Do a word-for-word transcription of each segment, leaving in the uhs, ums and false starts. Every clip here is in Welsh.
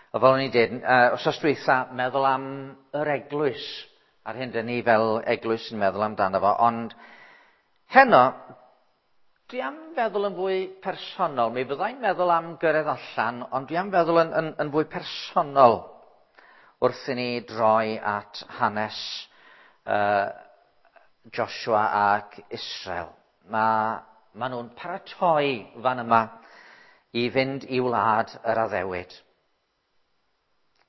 A fel o'n i'n dweud, uh, wsos dwytha, meddwl am yr eglwys, a'r hyn dyn ni fel eglwys yn meddwl amdano fo, ond heno, dwi am feddwl yn fwy personol. Mi fyddai'n meddwl am gyrraedd allan, ond dwi am feddwl yn, yn, yn fwy personol wrth i ni droi at hanes uh, Joshua ac Israel. Mae ma nhw'n paratoi fan yma i fynd i wlad yr addewid.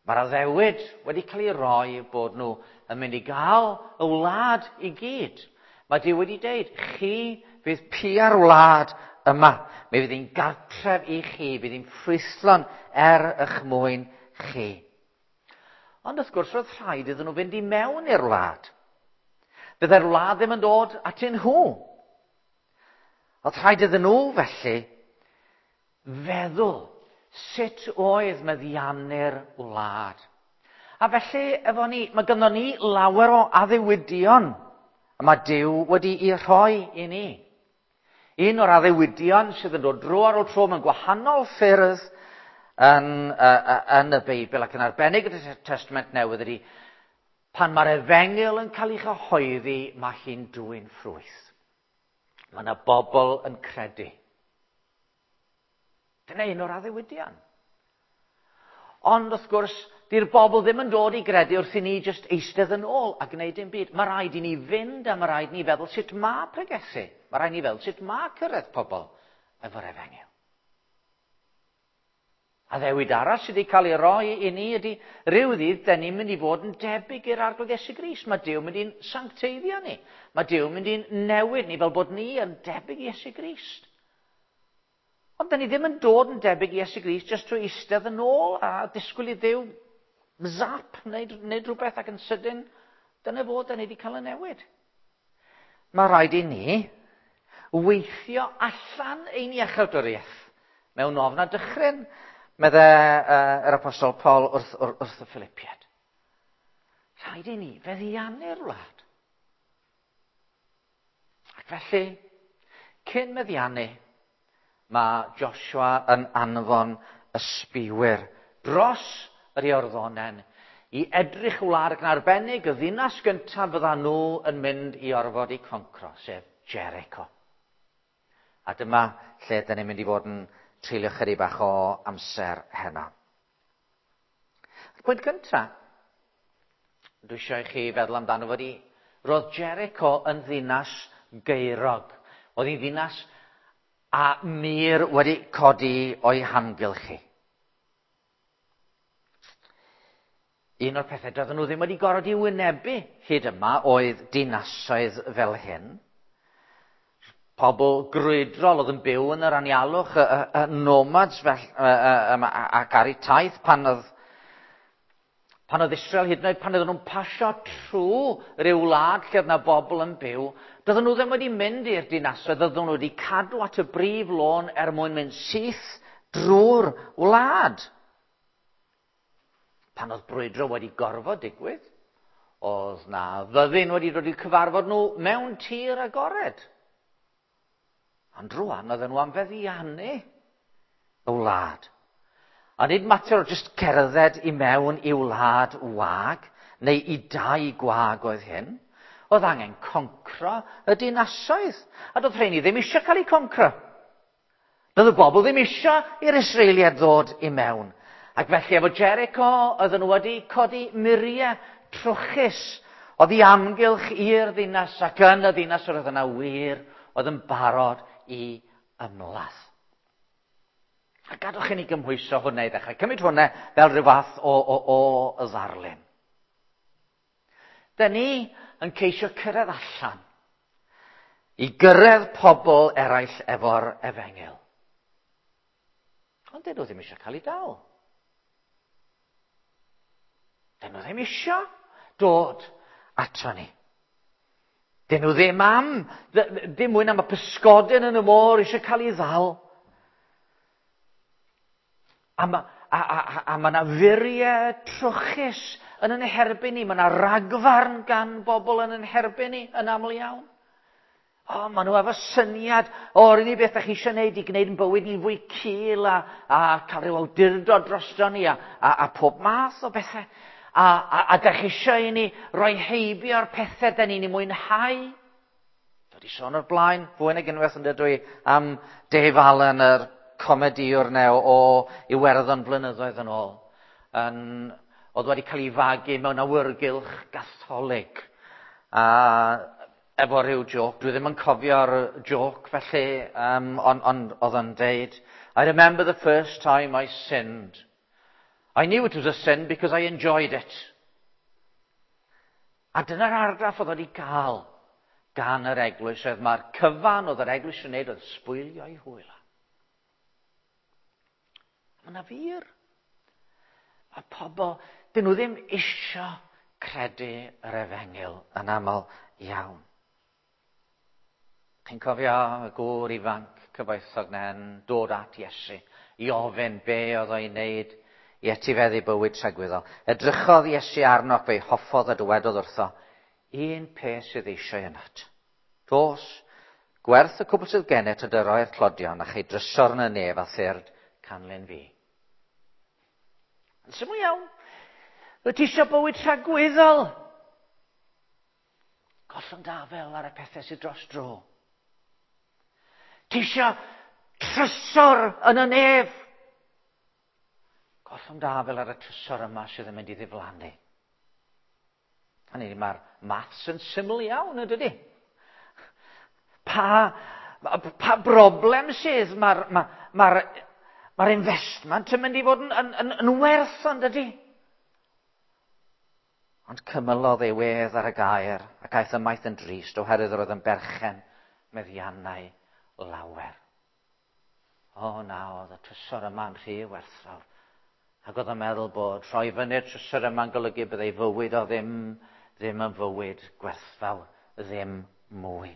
Mae'r addewid wedi cael ei roi bod nhw yn mynd i gael y wlad i gyd. Mae Duw wedi dweud, chi fydd pia'r wlad yma. Mi fydd hi'n gartref i chi, fydd hi'n ffrwythlon er eich mwyn chi. Ond wrth gwrs, roedd rhaid iddyn nhw fynd i mewn i'r wlad. Byddai'r wlad ddim yn dod atyn nhw. Oedd rhaid iddyn nhw, felly, feddwl sut oedd meddiannu'r wlad. A felly, efo ni, mae gynnon ni lawer o addewidion y mae Duw wedi'i rhoi i ni. Un o'r addewidion sydd yn dod dro ar ôl tro mewn gwahanol ffyrdd yn, uh, yn y Beibl ac yn arbennig y Testament Newydd ydy pan mae'r efengyl yn cael ei chyhoeddi, mae hi'n dwyn ffrwyth. Mae yna bobl yn credu. Dyna un o'r addewidion. Ond wrth gwrs, di'r bobl ddim yn dod i gredu wrth i ni jyst eistedd yn ôl a gwneud dim byd. Mae rhaid i ni fynd a mae rhaid i ni feddwl sut mae pregethu. Mae rhaid i ni feddwl sut mae cyrraedd pobl efo'r efengyl. Addewid arall sydd wedi cael ei roi i ni ydy rhyw ddydd, da ni'n mynd i fod yn debyg i'r Arglwydd Iesu Grist. Mae Duw mynd i'n sancteiddio ni. Mae Duw mynd i'n newid ni fel bod ni yn debyg i Iesu Grist. Ond da ni ddim yn dod yn debyg i Iesu Grist jyst trwy eistedd yn ôl a disgwyl i Dduw zap neu, neu rhywbeth ac yn sydyn, dyna fod da ni wedi cael y newid. Mae rhaid i ni weithio allan ein iechawdwriaeth mewn ofn a dychryn, medde uh, yr Apostol Paul wrth, wrth, wrth y Philippiaid. Rhaid i ni feddiannu'r wlad. Ac felly, cyn meddiannu, mae Joshua yn anfon ysbiwyr dros yr Iorddonen i edrych y wlad ac yn arbennig y ddinas gyntaf fydda nhw yn mynd i orfod i concro, sef Jericho. A dyma lle dyn ni'n mynd i fod yn treulio chydig bach o amser heno. Y pwynt gyntaf, dwi eisiau i chi feddwl amdano fod i, roedd Jericho yn ddinas gaerog. Oedd hi'n ddinas a mur wedi codi o'i hamgylch hi. Un o'r pethau doedden nhw ddim wedi gorfod i wynebu hyd yma oedd dinasoedd fel hyn. Pobl grwydrol oedd yn byw yn yr anialwch, y, y, y nomads fel, y, y, y, ac ar eu taith pan oedd, pan oedd Israel hyd yn oed, pan oedden nhw'n pasio trwy ryw wlad lle oedd yna bobl yn byw, doedden nhw ddim wedi mynd i'r dinasoedd, oedden nhw wedi cadw at y brif lôn er mwyn mynd syth drwy'r wlad. Pan oedd brwydro wedi gorfod digwydd, oedd na fyddin wedi dod i'w cyfarfod nhw mewn tir agored. Ond rwan oedden nhw am feddiannu y wlad. A nid mater o jyst cerdded i mewn i wlad wag, neu i dai gwag oedd hyn. Oedd angen concro y dinasoedd. A doedd rheini ddim eisiau cael eu concro. Doedd y bobl ddim eisiau i'r Israeliaid ddod i mewn. Ac felly efo Jericho, oedden nhw wedi codi muriau trwchus oedd i amgylch i'r ddinas, ac yn y ddinas oedd yna wir oedd yn barod i ymladd. A gadwch i ni gymhwyso hwnna i ddechrau. Cymryd hwnna fel rhyw fath o, o, o ddarlun. Da ni yn ceisio cyrraedd allan i gyrraedd pobl eraill efo'r efengyl. Ond dyn nhw ddim eisiau cael eu dal. Dyn nhw ddim eisiau dod ato ni. Dyn nhw ddim am, dim mwy am y pysgodyn yn y môr eisiau cael ei ddal. A mae a, a, a ma yna furiau trwchus yn yn herbyn ni. Mae yna ragfarn gan bobl yn yn herbyn ni yn aml iawn. O, maen nhw efo syniad o'r unig beth da chi eisiau gwneud i gwneud yn bywyd ni'n fwy cul a, a cael rhyw awdurdod drosto ni a, a, a pob math o bethau. A, a, a da chi eisiau i ni roi heibio'r pethau da ni'n ei mwynhau. Dwi wedi sôn o'r blaen, fwy nag unwaith yn dydw i, am Dave Allen, yr comediwr neu o Iwerddon blynyddoedd yn ôl. Yn, oedd wedi cael ei fagu mewn awyrgylch gatholig. A efo rhyw joc, dwi ddim yn cofio'r joc felly, um, ond on, oedd o'n deud, I remember the first time I sinned. I knew it was a sin because I enjoyed it. A dyna'r argraff oedd wedi gael gan yr eglwys, oedd mae'r cyfan oedd yr eglwys yn wneud oedd sbwylio ei hwyl. Mae yna wir. Mae pobl, dyn nhw ddim isio credu yr efengyl yn aml iawn. Chi'n cofio y gŵr ifanc cyfoethog na'n dod at Iesu i ofyn be oedd o'i wneud i etifeddu bywyd tragwyddol. Edrychodd Iesu arno ac fe'i hoffodd a dywedodd wrtho, un peth sydd eisiau ynat. Dos, gwerth y cwbl sydd gennyt a dyroi'r tlodion a chei drysor yn y nef a thyrd canlyn fi. Yn syml iawn. Wyt ti eisiau bywyd tragwyddol? Gollwng dy afel ar y pethau sydd dros dro. Ti eisiau trysor yn y nef? Gollwng dy afel ar y trysor yma sydd yn mynd i ddiflannu. Hynny, mae'r maths yn syml iawn, yn dydy? Pa, pa broblem sydd? Mae'r ma, ma, ma investment yn mynd i fod yn, yn, yn, yn werth, yn dydy? Ond cymylodd ei wedd ar y gair ac aeth ymaith yn drist oherwydd yr oedd yn berchen meddiannau lawer. O na, oedd y trysor yma'n rhy werthfawr. Ac oedd yn meddwl bod rhoi fyny'r trysor yma'n golygu byddai fywyd o ddim, ddim yn fywyd gwerthfawr, ddim mwy.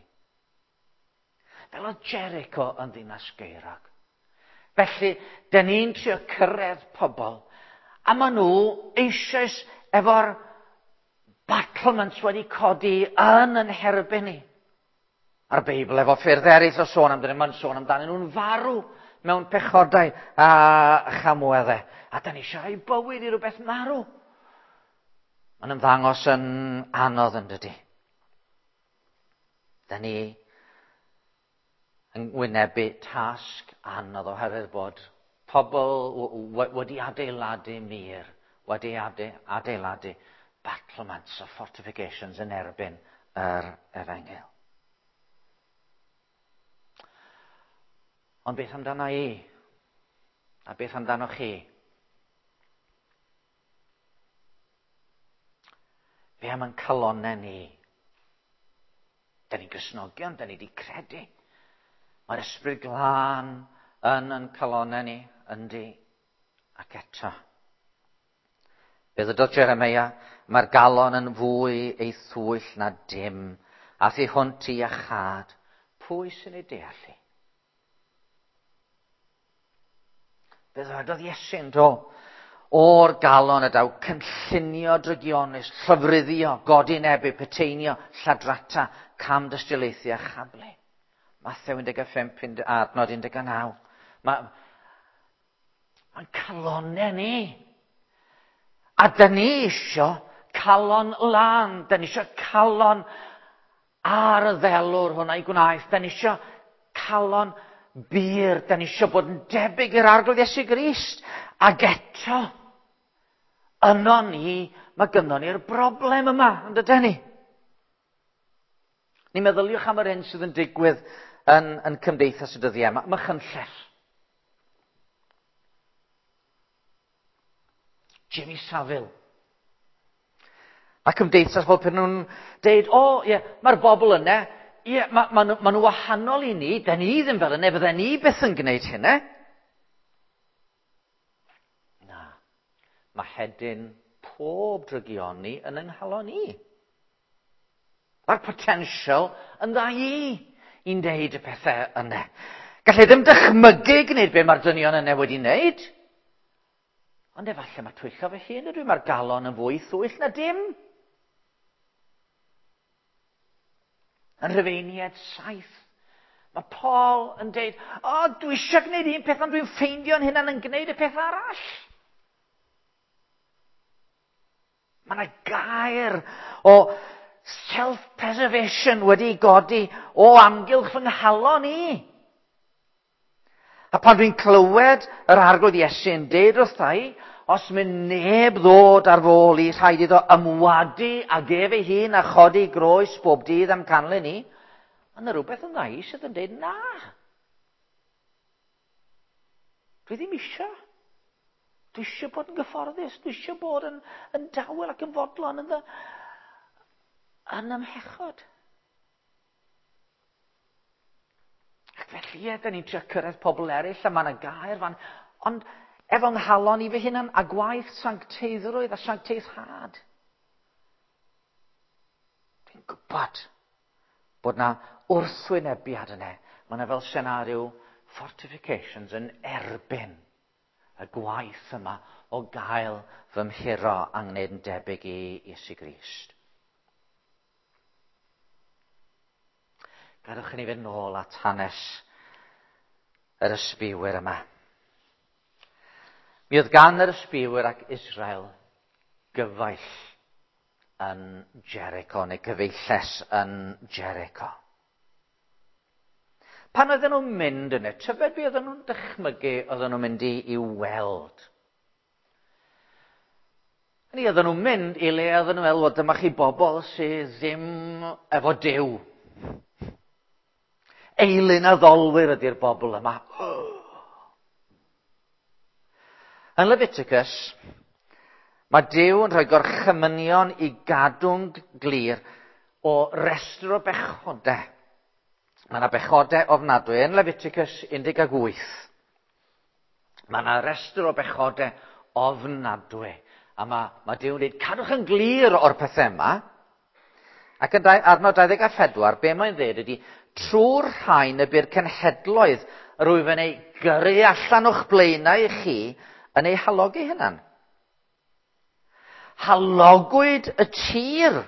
Fel oedd Jericho yn ddinas gaerog. Felly, dyn ni'n trio cyrraedd pobl, a maen nhw eisoes efo'r battlements wedi codi yn yn herbyn ni. A'r Beibl efo ffyrdd eraill o sôn amdano, mae'n sôn amdanyn nhw'n farw mewn pechodau a chamweddau. A da ni eisiau rhoi bywyd i rhywbeth marw. Mae'n ymddangos yn anodd yn dydy. Da ni yn wynebu tasg anodd oherwydd bod pobl wedi adeiladu mur, wedi adeiladu battlements o fortifications yn erbyn yr efengyl. Ond beth amdano i? A beth amdano chi? Be am yn calonnau ni? Da ni'n Gristnogion, da ni wedi credu. Mae'r ysbryd glân yn yn calonnau ni, yndi, ac eto. Be ddydodd Jeremia, mae'r galon yn fwy ei thwyll na dim, a thu hwnt i iachâd. Pwy sy'n ei deall i? Be ddywedodd Iesu yn do? O'r galon y daw cynllunio drygionus, llofruddio, godinebu, peteinio, lladrata, cam dystiolaethu a chablu. Mathew un deg pump, adnod un deg naw. Mae'n ma calonnau ni. A da ni isio calon lân. Da ni isio calon ar y ddelwr hwnna i gwnaeth. Da ni isio calon bur. Da ni isio bod yn debyg i'r Arglwydd Iesu Grist. Ac eto, yno ni, mae gynnon ni'r broblem yma, yn dydyn ni? Ni meddyliwch am yr hyn sydd yn digwydd yn, yn cymdeithas y dyddiau yma. Mae Machynlleth. Jimmy Savile. A cymdeithas fel pen nhw'n deud, o, ie, mae'r bobl yna, ie, ma, ma, ma nhw wahanol i ni, da ni ddim fel yna, fydden ni byth yn gwneud hynna. Na, mae hedyn pob drygioni yn yng nghalon ni. Mae'r potensial yn dda i i'n deud y pethau yna. Gallai ddim dychmygu gwneud be mae'r dynion yna wedi wneud. Ond efallai mae twyllo fy hun ydw i, mae'r galon yn fwy thwyll na dim. Yn Rhufeiniaid saith, mae Paul yn deud, o, oh, dwi eisiau gwneud un peth, ond dwi'n ffeindio'n hunan yn gwneud y peth arall. Mae yna gair o self-preservation wedi godi o amgylch fy nghalon i. A pan dwi'n clywed yr Arglwydd Iesu yn deud wrtha i, os mynd neb ddod ar fy ôl i, rhaid iddo ymwadu ag ef ei hun a chodi groes bob dydd am canlyn i, mae yna rhywbeth yn dda i sydd yn deud na. Dwi ddim eisiau. Dwi eisiau bod yn gyfforddus, dwi eisiau bod yn, yn dawel ac yn fodlon yn, yn ymhechod. Ac felly, ie, da ni'n trio cyrraedd pobl eraill a mae yna gair fan, ond efo nghalon i fy hunan a gwaith sancteiddrwydd a sancteiddhad. Dwi'n gwybod bod na wrthwynebiad yna. Mae yna fel senario fortifications yn erbyn y gwaith yma o gael fy mhuro a ngwneud yn debyg i Iesu Grist. Gadewch i ni fynd nôl at hanes yr ysbiwyr yma. Mi oedd gan yr ysbiwyr ac Israel gyfaill yn Jericho, neu gyfeilles yn Jericho. Pan oedden nhw'n mynd yna, tybed be oedden nhw'n dychmygu oedden nhw'n mynd i, i weld? Hynny, oedden nhw'n mynd i le oedden nhw'n meddwl, dyma chi bobl sydd ddim efo Duw. Eilun addolwyr ydy'r bobl yma. Yn Leviticus, mae Duw yn rhoi gorchymynion i gadw'n glir o restr o bechodau. Mae yna bechodau ofnadwy. Yn Leviticus un deg wyth, mae yna restr o bechodau ofnadwy. A mae, mae Duw yn dweud, cadwch yn glir o'r pethau yma. Ac yn adnod dau ddeg a phedwar, be mae'n dweud ydy, trwy'r rhain y bu'r cenhedloedd yr wyf yn ei gyrru allan o'ch blaenau i chi yn ei halogi hunan. Halogwyd y tir,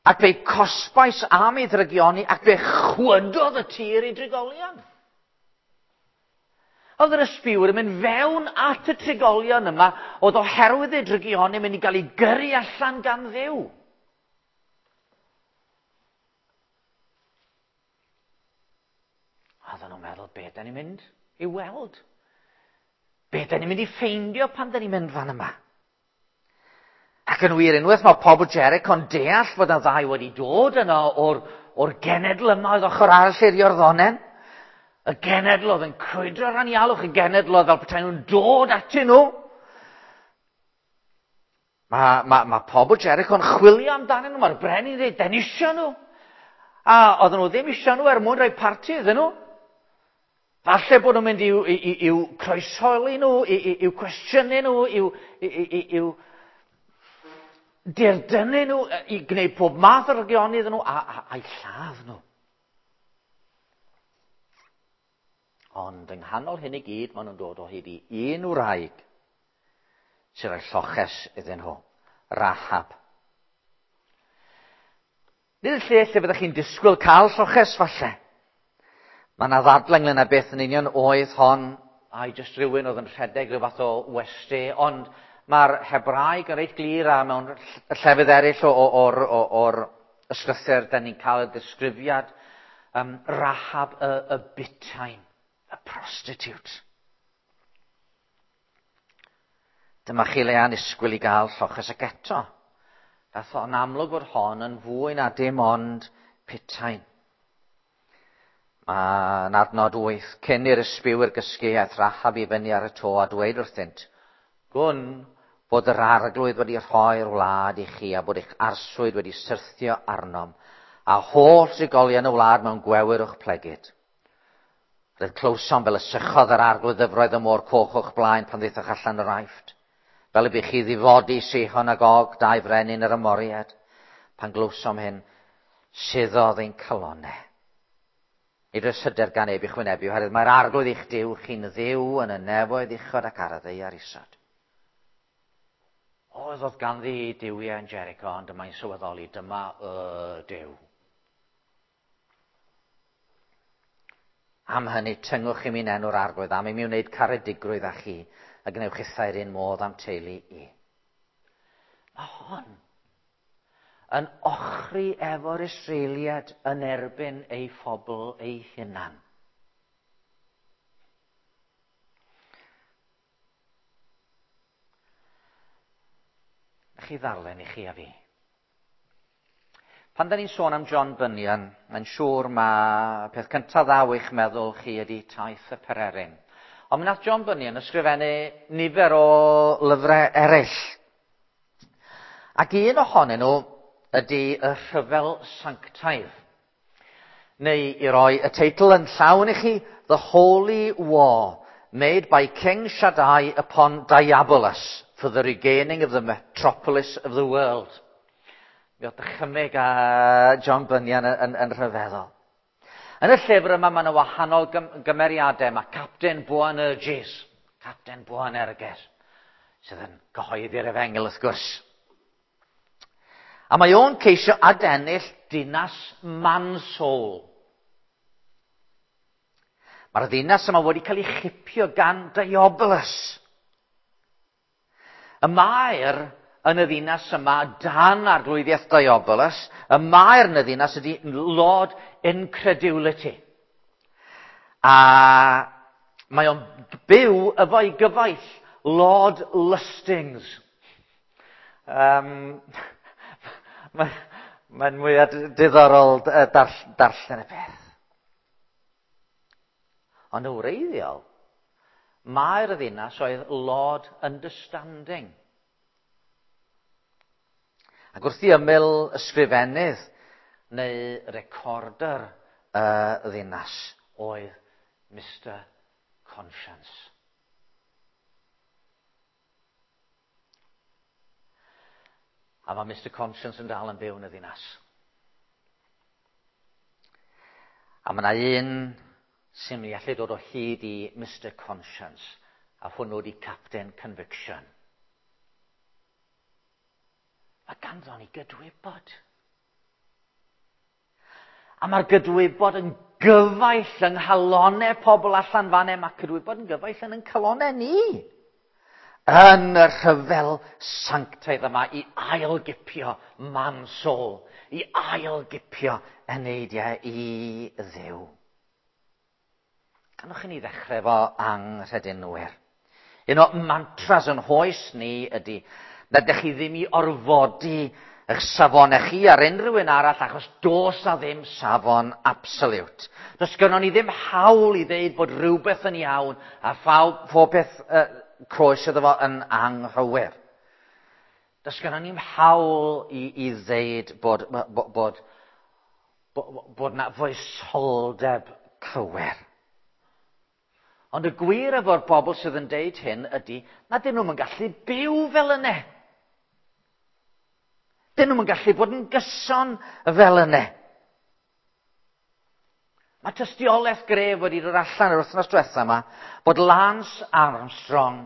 ac fe'i cosbais am ei ddrygioni, ac fe chwydodd y tir i drigolion. Oedd yr ysbiwyr yn mynd fewn at y trigolion yma, oedd oherwydd ei drygioni mynd i gael ei gyrru allan gan Dduw. A oedden nhw'n meddwl, be da ni'n mynd i weld? Be da ni'n mynd i ffeindio pan da ni'n mynd fan yma? Ac yn wir, unwaith mae pobl Jericho'n deall fod y ddau wedi dod yno o'r, o'r genedl yma oedd ochr arall i'r Iorddonen. Y genedl oedd yn crwydro'r anialwch, y genedl oedd fel petai nhw'n dod atyn nhw. Mae, mae, mae pobl Jericho'n chwilio amdanyn nhw, mae'r brenin yn dweud, den isio nhw. A oedden nhw ddim isio nhw er mwyn rhoi parti iddyn nhw. Falle bod nhw'n mynd i'w, i'w, i'w croeshoeli nhw, i'w cwestiynu nhw, i'w, i'w dirdynnu nhw, i gwneud pob math o rygioni iddyn nhw, a, a, a'i lladd nhw. Ond yng nghanol hyn i gyd, maen nhw'n dod o hyd i un wraig sy'n rhoi lloches iddyn nhw, Rahab. Nid y lle lle fyddech chi'n disgwyl cael lloches falle. Mae yna ddadle ynglyn â beth yn union oedd hon, ai jyst rhywun oedd yn rhedeg rhyw fath o westy, ond mae'r Hebraeg yn reit glir a mewn llefydd eraill o'r, o'r ysgrythur, da ni'n cael y disgrifiad um, Rahab y, y butain, y prostitute. Dyma chi le anisgwyl i gael lloches ac eto. Dath o'n amlwg fod hon yn fwy na dim ond putain. Mae'n adnod wyth, cyn i'r ysbiwyr gysgu aeth Rahab i fyny ar y to a dweud wrthynt, gwn fod yr arglwydd wedi rhoi'r wlad i chi a bod eich arswyd wedi syrthio arnom, a holl drigolion y wlad mewn gwewyr o'ch plegid. Roedd clywsom fel y sychodd yr arglwydd ddyfroedd y môr coch o'ch blaen pan ddaethoch allan o'r Aifft, fel y bu chi ddifodi Sihon ag Og, dau frenin yr Amoriad. Pan glywsom hyn, suddodd ein calonnau. Nid oes hyder gan neb i'ch wynebu, oherwydd mae'r arglwydd eich Duw chi'n ddiw yn y nefoedd uchod ac ar y ddaear isod. Oedd oedd ganddi duwiau yn Jericho, ond yma'n sylweddoli, dyma y Duw. Am hynny, tyngwch i mi'n enw'r Arglwydd, am i mi wneud caredigrwydd â chi, a gwnewch chithau'r un modd am teulu i. Mae hon yn ochri efo'r Israeliad yn erbyn ei phobl ei hunan. Chi ddarllen i chi a fi. Pan da ni'n sôn am John Bunyan, mae'n siŵr mae peth cyntaf ddaw eich meddwl chi ydy Taith y Pererin. Ond mi nath John Bunyan ysgrifennu nifer o lyfrau eraill. Ac un ohonyn nhw ydy Y Rhyfel Sanctaidd. Neu i roi y teitl yn llawn i chi, The Holy War, made by King Shaddai upon Diabolus for the regaining of the metropolis of the world. Mi oedd dychymyg a John Bunyan yn, yn, yn rhyfeddol. Yn y llyfr yma mae yna wahanol gymeriadau. Mae Captain Boanerges, Captain Boanerges, sydd yn cyhoeddi'r efengyl wrth gwrs. A mae o'n ceisio adennill dinas Mansoul. Mae'r ddinas yma wedi cael ei chipio gan Diabolus. Y maer yn y ddinas yma dan arglwyddiaeth Diabolus, y maer yn y ddinas ydy Lord Incredulity. A mae o'n byw efo'i gyfaill, Lord Lustings. Um, Mae'n mae mwyaf diddorol dar, darllen y peth. Ond yn wreiddiol, mae'r ddinas oedd Lord Understanding. Ac wrth i ymyl ysgrifennydd neu recorder y ddinas oedd Mister Conscience. A mae Mister Conscience yn dal yn byw yn y ddinas. A mae yna un sy'n mynd i allu dod o hyd i Mister Conscience, a hwnnw di Captain Conviction. Mae ganddo ni gydwybod. A mae'r gydwybod yn gyfaill yng nghalonau pobl allan fan 'na. Mae cydwybod yn gyfaill yn ein calonau ni. Yn y rhyfel sanctaidd yma i ailgipio Mansoul, i ailgipio eneidiau i Dduw. Ganwch chi ni ddechrau efo anghredinwyr. Un o mantras yn hoes ni ydy na ydych chi ddim i orfodi eich safonau chi ar unrhyw un arall achos does na ddim safon absolute. Does gynnon ni ddim hawl i ddeud bod rhywbeth yn iawn a phawb, pob peth uh, croes iddo fo yn anghywir. Does gynnon ni'm hawl i, i ddeud bod, bod, bod, bod, bod na foesoldeb cywir. Ond y gwir efo'r bobl sydd yn deud hyn ydy na dyn nhw'm yn gallu byw fel yna. Dyn nhw'm yn gallu bod yn gyson fel yna. Mae tystiolaeth gref wedi dod allan yr wythnos diwetha yma bod Lance Armstrong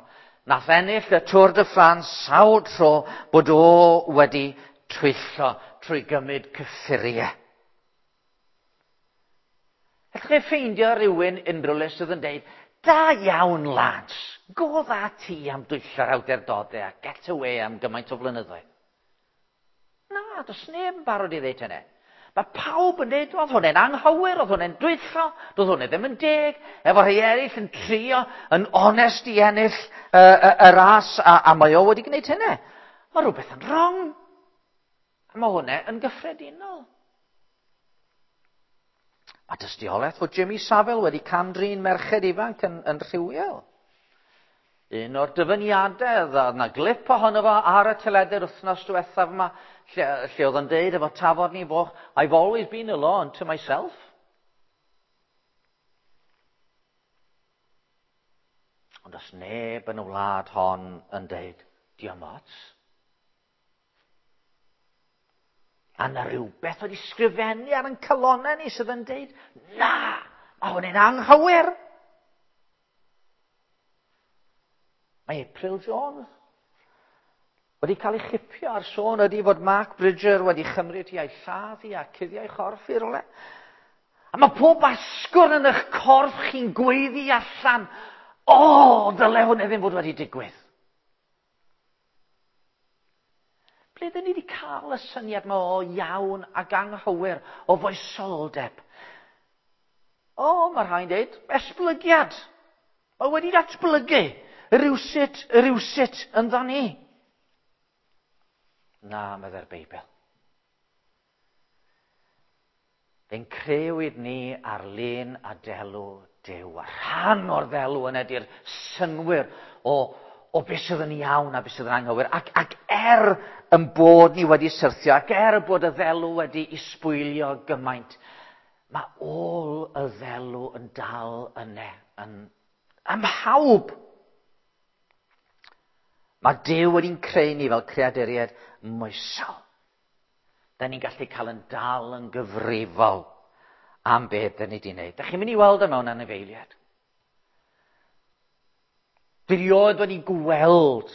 nath ennill y Tour de France sawl tro bod o wedi twyllo trwy gymryd cyffuriau. Allwch chi ffeindio rhywun unrhyw le sydd yn deud, da iawn Lance, go dda ti am dwyllo'r awdurdodau a get away am gymaint o flynyddoedd. Na, does neb yn barod i ddeud hynny. Mae pawb yn dweud, oedd hwnna'n anghywir, oedd hwnna'n dwyllo, doedd hwnna ddim yn deg, efo rhai eraill yn trio, yn onest i ennill y, y, y ras, a, a mae o wedi gwneud hynny. Mae rhywbeth yn wrong. A mae hwnna yn gyffredinol. Mae dystiolaeth fod Jimmy Savile wedi cam-drin merched ifanc yn, yn rhywiol. Un o'r dyfyniadau, oedd yna glip ohono fo ar y teledu'r wythnos diwethaf yma, lle, lle oedd yn deud efo tafod ni foch, I've always been a law unto myself. Ond os neb yn y wlad hon yn deud, diom ots. A na rhywbeth wedi sgrifennu ar ein calonnau ni sydd yn deud, na, mae hwn yn anghywir. Mae April Jones wedi cael ei chipio ar sôn ydy fod Mark Bridger wedi chymryd hi a'i lladd hi a cuddio'i chorff i rywle. A mae pob asgwrn yn eich corff chi'n gweiddi allan, o, oh, ddyle hwnna ddim fod wedi digwydd. Ble ydyn ni wedi cael y syniad yma o iawn ac anghywir, o foesoldeb? O, mae rhai'n dweud, esblygiad. Mae wedi datblygu rywsut, rywsut ynddo ni. Na, meddai'r Beibl. Fe'n creuwyd ni ar lun a delw Duw. A rhan o'r ddelw yna ydy'r synnwyr o, o beth sydd yn iawn a beth sydd yn anghywir. Ac, ac er yn bod ni wedi syrthio, ac er bod y ddelw wedi isbwylio gymaint, mae ôl y ddelw yn dal yna, yn, ym mhawb. Mae Duw wedi'n creu ni fel creaduriaid moesol. Da ni'n gallu cael yn dal yn gyfrifol am beth da ni wedi wneud. Da chi'n mynd i weld o mewn anifeiliaid. Dwi erioed wedi gweld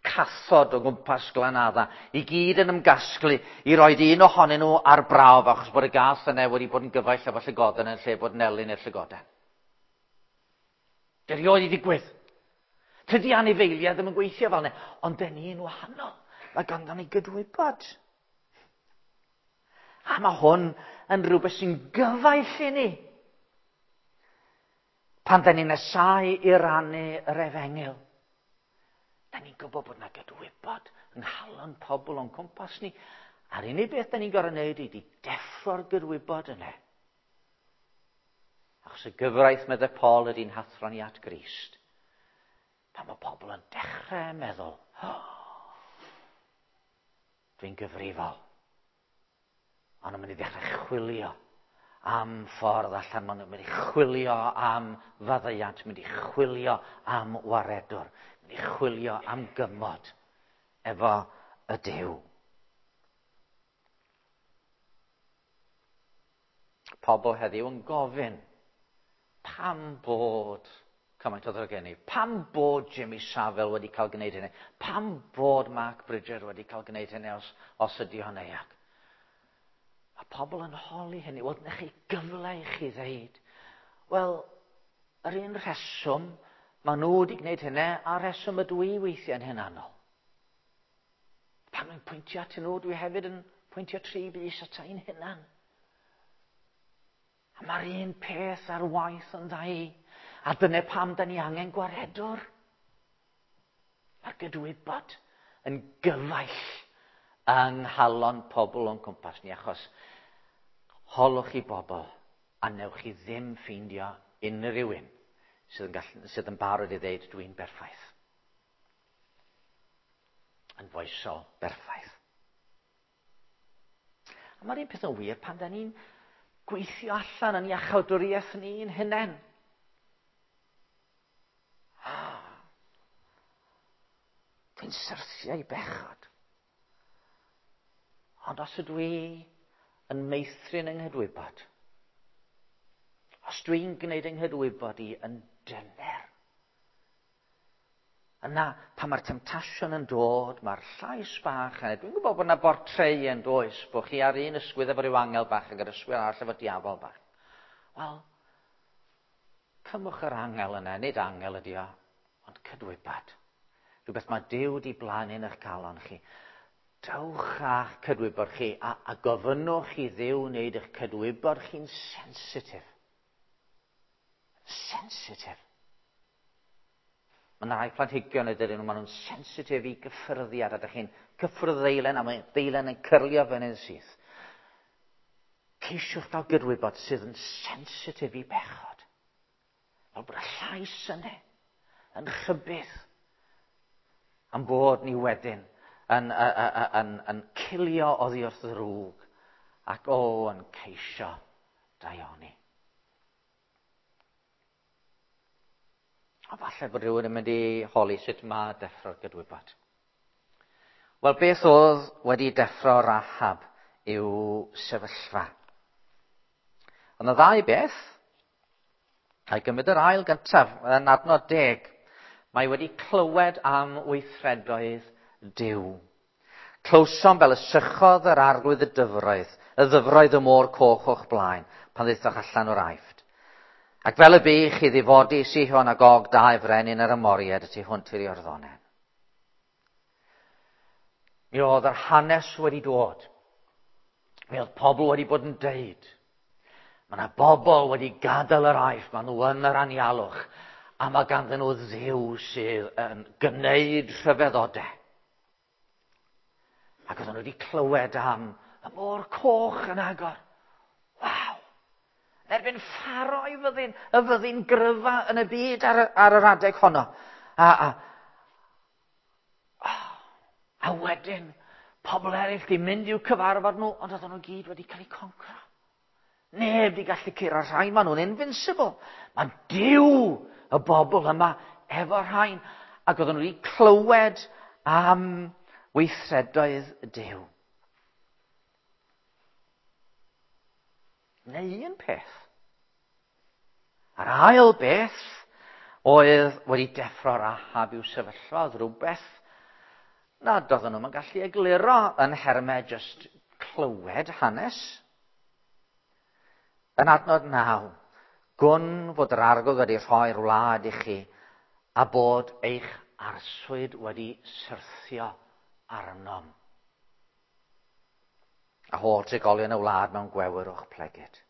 cathod o gwmpas Glanadda i gyd yn ymgasglu i roed un ohonyn nhw ar brawf achos bod y gath yna wedi bod yn gyfaill efo llygoden yn lle bod yn elyn i'r llygoden. Dwi erioed wedi digwydd. Tydi anifeiliaid ddim yn gweithio fel yna, ond dyn ni'n wahanol. Mae ganddo ni gydwybod. A mae hwn yn rhywbeth sy'n gyfaill i ni. Pan da ni'n nesau i rannu yr efengyl, da ni'n gwybod bod yna gydwybod yng nghalon pobl o'n cwmpas ni. A'r unig beth da ni'n gorfod wneud ydy deffro'r gydwybod yna. Achos y gyfraith, meddai Paul, ydy'n hathro ni at Grist. Pan mae pobl yn dechrau meddwl, oh, dwi'n gyfrifol. Ond nhw'n mynd i ddechrau chwilio am ffordd allan. Maen nhw'n mynd i chwilio am faddeuant, mynd i chwilio am waredwr, mynd i chwilio am gymod efo y Duw. Pobl heddiw yn gofyn, pam bod cymaint o ddrygeni? Pam bod Jimmy Savile wedi cael gwneud hynny? Pam bod Mark Bridger wedi cael gwneud hynny os, os ydy o'n euog? Mae pobl yn holi hynny. Wel, dyna chi gyfle i chi ddeud. Wel, yr un rheswm maen nhw wedi gwneud hynny a'r rheswm ydw i weithiau'n hunanol. Pan mae'n pwyntio atyn nhw, dwi hefyd yn pwyntio tri bys at ein hunan. A mae'r un peth ar waith yn ddau. A dyna pam da ni angen gwaredwr. Mae'r gydwybod yn gyfaill yng nghalon pobl o'n cwmpas ni, achos holwch chi bobl a newch chi ddim ffeindio unrhyw un sydd yn, gallu, sydd yn barod i ddeud dwi'n berffaith. Yn foesol berffaith. A mae'r un peth yn wir pan da ni'n gweithio allan yn iachawdwriaeth ni'n hunain. Ah, dwi'n syrthio i bechod. Ond os ydw i yn meithrin yng nghydwybod, os dwi'n gwneud yng nghydwybod i yn dyner, yna pan mae'r temtasiwn yn dod, mae'r llais bach yna, dwi'n gwybod bod yna bortreu yn does, bod chi ar un ysgwydd efo ryw angel bach ac yr ysgwydd arall efo diafol bach. Wel, cymwch yr angel yna, nid angel ydi o, ond cydwybod. Rhywbeth mae Duw wedi blannu yn eich calon chi. Dewch â'ch cydwybod chi a, a gofynnwch i Dduw wneud eich cydwybod chi'n sensitif. Sensitif. Mae yna rai planhigion ydyn nhw, maen nhw'n sensitif i gyffyrddiad, a ydych chi'n cyffwrdd ddeilen a mae deilen yn cyrlio fyny'n syth. Ceisiwch gael gydwybod sydd yn sensitif i bechod. Fel bod y llais yna yn rhybudd am bod ni wedyn yn, yn, yn, yn cilio oddi wrth ddrwg ac o yn ceisio daioni. A falle bod rhywun yn mynd i holi sut mae deffro'r gydwybod. Wel, beth oedd wedi deffro Rahab i'w sefyllfa? Ond y ddau beth, a'i gymryd yr ail gyntaf, yn adnod deg, mae wedi clywed am weithredoedd Duw. Clywsom fel y sychodd yr arglwydd y dyfroedd, y ddyfroedd y môr coch o'ch blaen, pan ddaethoch allan o'r Aifft. Ac fel y bu i chi ddifodi Sihon ac Og dau frenin yr Amoriaid y tu hwnt i'r Iorddonen. Mi oedd yr hanes wedi dod. Mi oedd pobl wedi bod yn deud. Mae yna bobl wedi gadael yr Aifft, maen nhw yn yr anialwch, a mae ganddyn nhw Dduw sydd yn gwneud rhyfeddodau. Ac oedden nhw wedi clywed am y môr coch yn agor. Waw! Yn erbyn Pharaoh i fyddin, y fyddin gryfa yn y byd ar, ar yr adeg honno. A, a, a wedyn, pobl eraill di mynd i'w cyfarfod nhw, ond oedden nhw gyd wedi cael eu concro. Neb di gallu curo rhain, maen nhw'n invincible. Mae Duw y bobl yma efo rhain. Ac oedden nhw wedi clywed am weithredoedd Duw. Neu un peth. A'r ail beth oedd wedi deffro Rahab i'w sefyllfa, oedd rhywbeth nad oedden nhw'n gallu egluro yn nhermau just clywed hanes. Yn adnod naw, gwn fod yr Arglwydd wedi rhoi'r wlad i chi a bod eich arswyd wedi syrthio arnom. A holl trigolion y wlad mewn gwewyr o'ch plegid.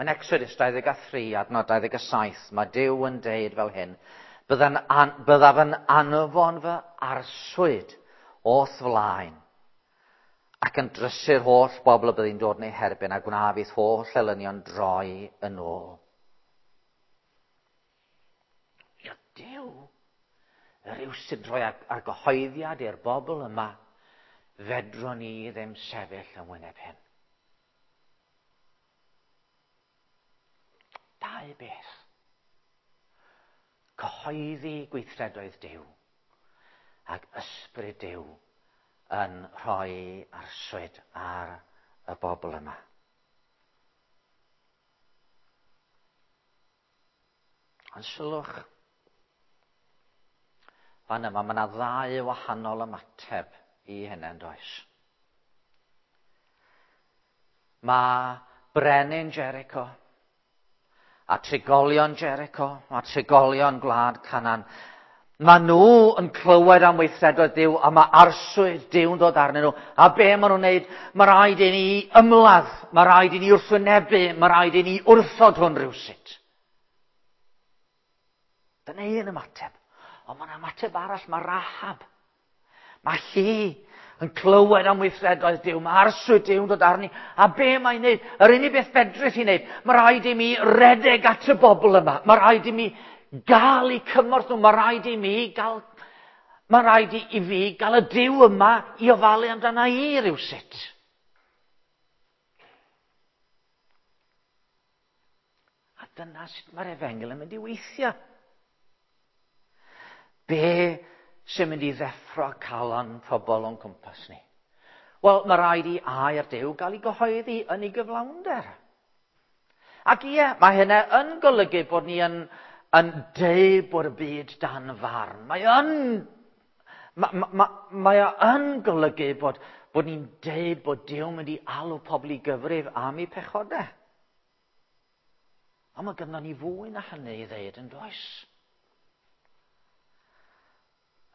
Yn Exodus dau ddeg a thri, adnod dau ddeg a saith, mae Duw yn deud fel hyn, an, byddaf yn anfon fy arswyd o'th flaen, ac yn drysu'r holl bobl y byddi'n dod yn eu herbyn, a gwnaf i'th holl elynion droi yn ôl. Ia, Duw, rywsut rhoi argyhoeddiad i'r bobl yma, fedrwn ni ddim sefyll yn wyneb hyn. Dau beth. Cyhoeddi gweithredoedd Duw ac ysbryd Duw yn rhoi arswyd ar y bobl yma. Ond sylwch, fan yma mae yna ddau wahanol ymateb i hynny, yn does? Mae brenin Jericho a trigolion Jericho a trigolion gwlad Canaan, mae nhw yn clywed am weithredoedd Duw a mae arswyd Duw'n dod arnyn nhw. A be maen nhw'n wneud? Mae rhaid i ni ymladd, mae rhaid i ni wrthwynebu, mae rhaid i ni wrthod hwn rhywsut. Dyna un ymateb. Ond mae'n ymateb arall, mae Rahab. Mae hi yn clywed am weithredoedd Duw, mae arswyd Duw'n dod arni. A be mae'n wneud? Yr unig beth fedrith hi'n wneud, mae rhaid i mi redeg at y bobl yma. Mae rhaid i mi gael eu cymorth nhw, mae rhaid i mi gael, mae rhaid i, i fi gael y Duw yma i ofalu amdana i rywsut. A dyna sut mae'r efengyl yn mynd i weithio. Be sy'n mynd i ddeffro calon pobl o'n cwmpas ni? Wel, mae rhaid i air Duw gael ei gyhoeddi yn ei gyflawnder. Ac ie, mae hynna yn golygu bod ni yn, yn deud bod y byd dan farn. Mae yn, ma, ma, mae o yn golygu bod, bod ni'n deud bod Duw mynd i alw pobl i gyfrif am eu pechodau. Ond mae gynnon ni fwy na hynny i ddeud yn does?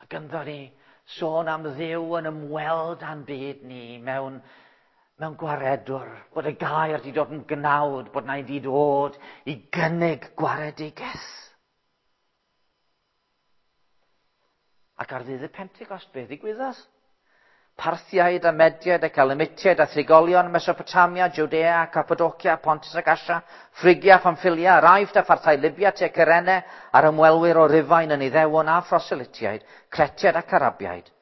A ganddo ni sôn am Dduw yn ymweld â'n byd ni mewn, mewn gwaredwr, bod y gair wedi dod yn gnawd, bod na wedi dod i gynnig gwaredigaeth. Ac ar ddydd y Pentecost, beth ddigwyddodd? Parthiaid a Mediaid ac Elamitiaid a thrigolion Mesopotamia, Judea, Cappadocia, Pontus ac Asia, Phrygia, Pamphylia, yr Aifft a pharthau Libya, tua Cyrene, a'r ymwelwyr o Rufain yn Iddewon a Phroselytiaid, Cretiaid ac Arabiaid.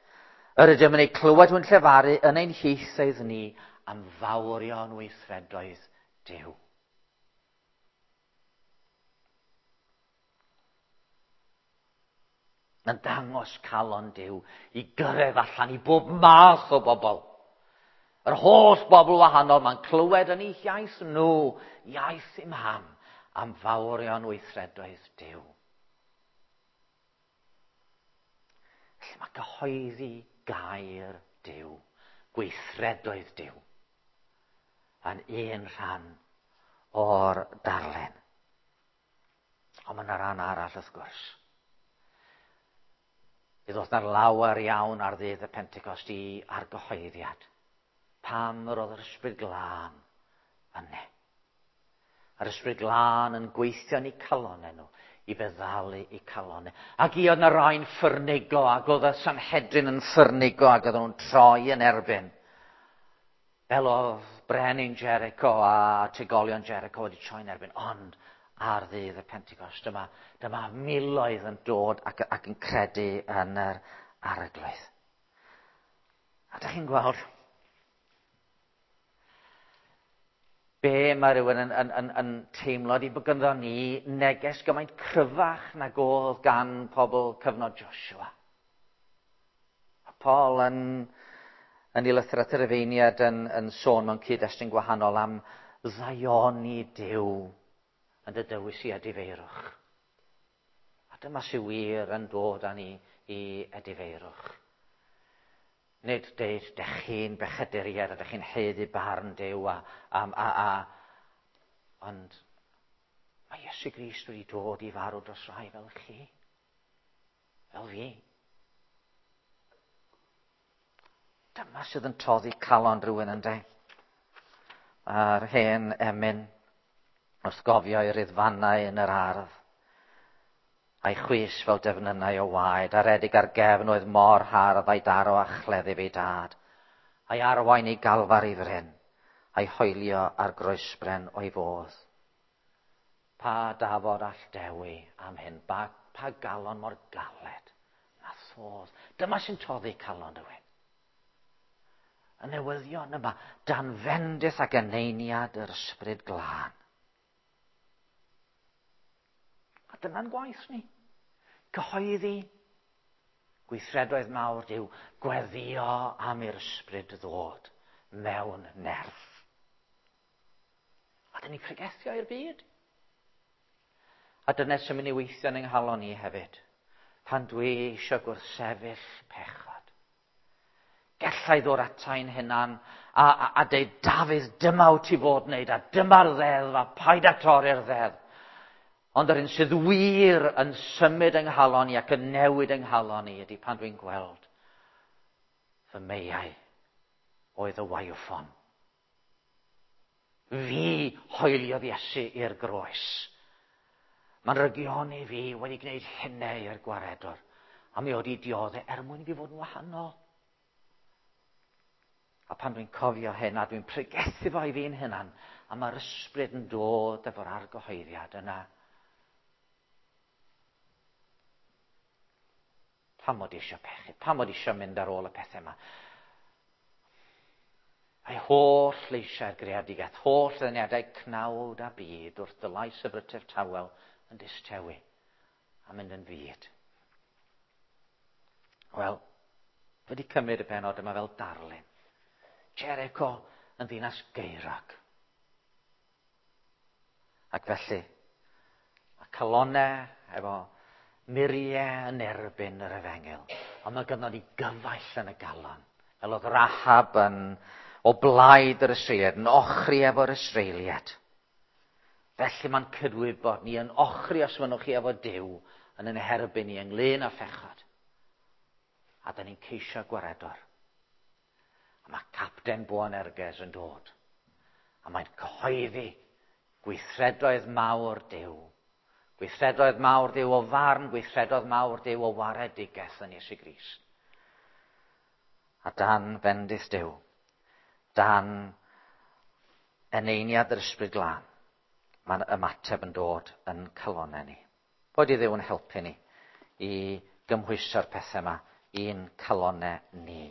Yr ydym yn eu clywed hwn llefaru yn ein hieithoedd ni am fawrion weithredoedd Duw. Mae'n dangos calon Duw i gyrraedd allan i bob math o bobl. Yr holl bobl wahanol, mae'n clywed yn eu hiaith nhw, iaith i'm ham, am fawrion weithredoedd Duw. Felly mae cyhoeddi gair Duw, gweithredoedd Duw, yn un rhan o'r darlun. Ond mae yna ran arall wrth gwrs. Mi ddoth 'na lawer iawn ar ddydd y Pentecost i argyhoeddiad. Pam yr oedd yr Ysbryd Glân yne. Yr Ysbryd Glân yn gweithio yn eu calonau nhw, i feddalu eu calonau. Ac i oedd 'na rai'n ffyrnigo, ac oedd y Sanhedrin yn ffyrnigo, ac oedden nhw'n troi yn erbyn. Fel oedd brenin Jericho a trigolion Jericho wedi troi'n erbyn, ond ar ddydd y Pentecost, dyma, dyma miloedd yn dod ac, ac yn credu yn yr Arglwydd. A dych chi'n gweld be mae rhywun yn, yn, yn, yn teimlo di bod ganddo ni neges gymaint cryfach nag oedd gan pobl cyfnod Joshua. A Paul yn, yn ei lythyr at yr Rufeiniaid yn, yn sôn mewn cyd-destun gwahanol am ddaioni Duw yn dy dywys i edifeirwch. A dyma sy'n wir yn dod â ni i edifeirwch. Nid deud, dech chi'n bechaduriaid a dech chi'n haeddu barn Duw a, a, a, a, ond mae Iesu Grist wedi dod i farw dros rai fel chi, fel fi. Dyma sydd yn toddi calon rhywun yn de. A'r hen emyn wrth gofio ei riddfannau yn yr ardd, a'i chwys fel defnynnau o waed, a redig ar gefn oedd mor hardd a'i daro a chleddyf ei dad, a'i arwain i galfar i fryn, a'i hoelio ar groesbren o'i fodd. Pa dafod all dewi am hyn, pa, pa galon mor galed na thodd. Dyma sy'n toddi calon rhywun. Y newyddion yma, dan fendith ac eneiniad yr Ysbryd Glân. A dyna'n gwaith ni. Cyhoeddi gweithredoedd mawr Duw, gweddio am i'r Ysbryd ddod mewn nerth. A dyn ni pregethio i'r byd. A dyna sy'n mynd i weithio yn yng nghalon ni hefyd. Pan dwi eisiau gwrthsefyll pechod. Gallai ddod atai'n hunan a, a, a deud, Dafydd, dyma wyt ti fod wneud, a dyma'r ddeddf, a paid â torri'r ddeddf. Ond yr un sydd wir yn symud yng nghalon i ac yn newid yng nghalon i ydy pan dwi'n gweld fy meiau oedd y waywffon. Fi hoeliodd Iesu i'r groes. Mae'n rygioni fi wedi gwneud hynny i'r gwaredwr. A mi oedd i dioddau er mwyn i fi fod yn wahanol. A pan dwi'n cofio hyn a dwi'n pregethu fo i fi'n hunan, a mae'r Ysbryd yn dod efo'r argyhoeddiad yna. Pam mod i eisiau pechu? Pam mod i eisiau mynd ar ôl y pethau yma? A'i holl leisiau'r greadigaeth, holl ddeniadau cnawd a byd wrth dy lais y brytef tawel yn distewi a mynd yn fyd. Wel, wedi cymryd y penod yma fel darlun. Jericho yn ddinas gaerog. Ac felly, mae calonau efo muriau yn erbyn yr efengyl. Ond mae gynnon ni gyfaill yn y galon. Fel oedd Rahab yn o blaid yr Israeliad, yn ochri efo'r Israeliad. Felly mae'n cydwybod ni yn ochri os mynnwch chi efo Duw yn yn herbyn ni ynglyn â phechod. A da ni'n ceisio gwaredwr. A mae Capten Boanerges yn dod. A mae'n cyhoeddi gweithredoedd mawr Duw. Gweithredoedd mawr Duw o farn, gweithredoedd mawr Duw o waredigaeth yn Iesu Grist. A dan fendith Duw, dan eneiniad yr Ysbryd Glân, mae'n ymateb yn dod yn calonau ni. Boed i Dduw yn helpu ni i gymhwyso'r pethau yma i'n calonau ni.